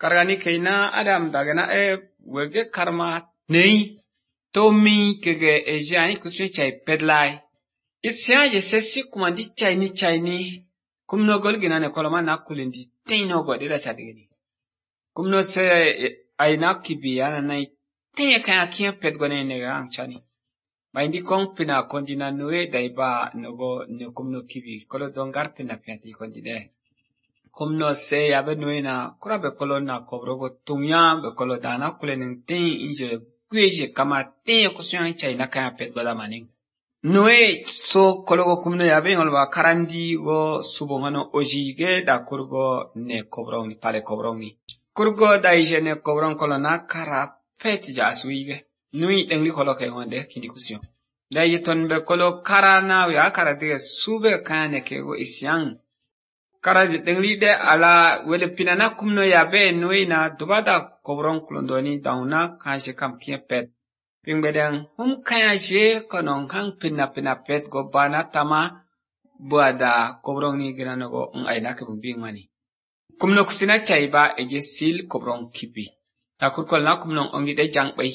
Kargani kaina Adam dagana wege karma nei tomi kege ejani kuswe chai pedlai. Isya je sesi kumandi chai ni kumno golgina ne koloma na kulindi teino godira chadigini. Kumno se aina kibiana nai tenye kaya kia pedgone nega angchani. Maindi kong pina kondina nue daiba nogo ne kumno kibi kolo dongar pina piati kondide. Kumno se yabe nue na kura be kolo na kobrogo tungya be kolo dana kulening ten inje kweje kama tenye kusyan chai na kaya pedgoda maning. Nue so kologo kumno yabe ngolwa karandi go subongano ojige da kurgo ne kobrong ni pale kobrong ni. Kurgo da ije ne kobrong kolo na kara peti ja asuige. Nui engli kolo ke ngonde kindi kusyon. Da ije tonbe kolo kara na ya kara dige sube kane kego isyang. Kara engli de ala wele pinana kumno yabe nui na dubada kobrong kulondoni dauna kaje kam kie pet. Pingbedang kaya je konong kang pina pet go bana tama buada kobrong ni ginano go aina ke bumbing mani. Kumno kusina chaiba eje sil kobrong kipi. Takur kol na kumnong ongi de jang bay.